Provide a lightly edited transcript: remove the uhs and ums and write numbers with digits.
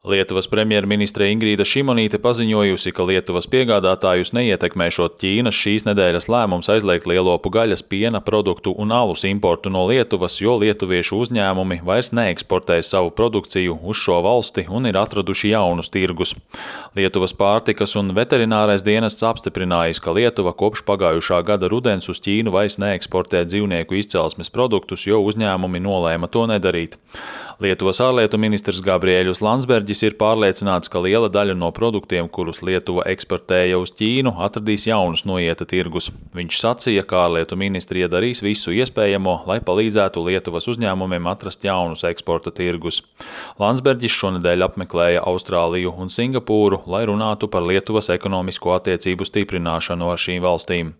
Lietuvas premjerministre Ingrīda Šimonīte paziņojusi, ka Lietuvas piegādātājus neietekmēšot Ķīnas šīs nedēļas lēmums aizliegt lielopu gaļas, piena produktu un alus importu no Lietuvas, jo lietuviešu uzņēmumi vairs neeksportēs savu produkciju uz šo valsti un ir atraduši jaunus tirgus. Lietuvas pārtikas un veterinārais dienests apstiprinājis, ka Lietuva kopš pagājušā gada rudens uz Ķīnu vairs neeksportē dzīvnieku izcelsmes produktus, jo uzņēmumi nolēma to nedarīt. Lietuvas ārlietu ministrs Gabriēļus Landsbergis ir pārliecināts, ka liela daļa no produktiem, kurus Lietuva eksportēja uz Ķīnu, atradīs jaunus noieta tirgus. Viņš sacīja, ka ārlietu ministrija darīs visu iespējamo, lai palīdzētu Lietuvas uzņēmumiem atrast jaunus eksporta tirgus. Landsbergis šonedēļ apmeklēja Austrāliju un Singapūru, lai runātu par Lietuvas ekonomisko attiecību stiprināšanu ar šīm valstīm.